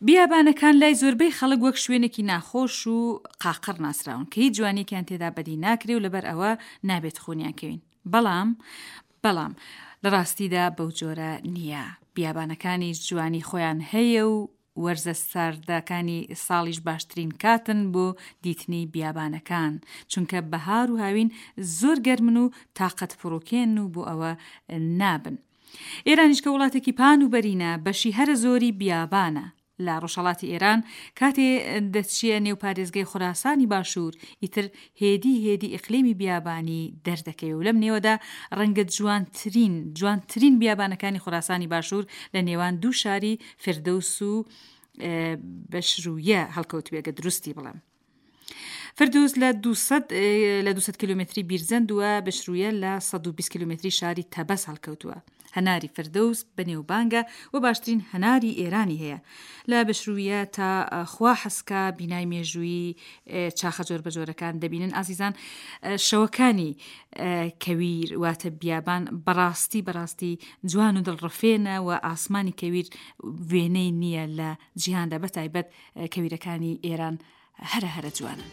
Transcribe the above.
بیابانەکان لای زۆربەی خەڵک وەک شوێنێکی ناخۆش و قاقڕ ناسراون کە هیچ جوانیەکیان تێدا بەدی ناکرێ و لەبەر ئەوە نابێت خونیان کەوین. بەڵام بەڵام لە ڕاستیدا بەو جۆرە نییە. بیابانەکانیش جوانی خۆیان هەیە و وەرزە ساردەکانی ساڵیش باشترین کاتن بۆ دیتنی بیابانەکان، چونکە بەهار و هاوین زۆر گەرمن و تاقەت پڕوکێن و بۆ ئەوە نابن. ئێرانیش کە وڵاتێکی پان و بەرینە، بەشی هەرە زۆری بیابانە. لە ڕۆژهەڵاتی ئێران کاتێ دەچیە نێو پارێزگای خوراسانی باشوور، ئیتر هێدی هێدی ئیقلیمی بیابانی دەردەکەوێ و لەم نێوەدا ڕەنگە جوانترین جوانترین بیابانەکانی خوراسانی باشوور لە نێوان دوو شاری فردەوس و بەشرویە هەڵکەوتبێ گەر دروستی بڵێم. فردوس لە 200 لە 200 کیلومتری بیرجەند و بشرویە لە 120 کیلومتری شاری تەبەس هەڵکەوتووە. هەناری فردەوس بەنێوبانگە و باشترین هەناری ئێرانی هەیە. لە بشرویە تا خوا حەسکا بینای مێژوویی چاخە جۆربەجۆرەکان دەبینن ئازیزان شەوەکانی کەویر واتە بیابان بەڕاستی بەڕاستی جوان و دڵڕفێنە و ئاسمانی کەویر وێنەی نییە لە جیهاندا بەتایبەت کەویرەکانی ئێران هەرە هەرە جوانن.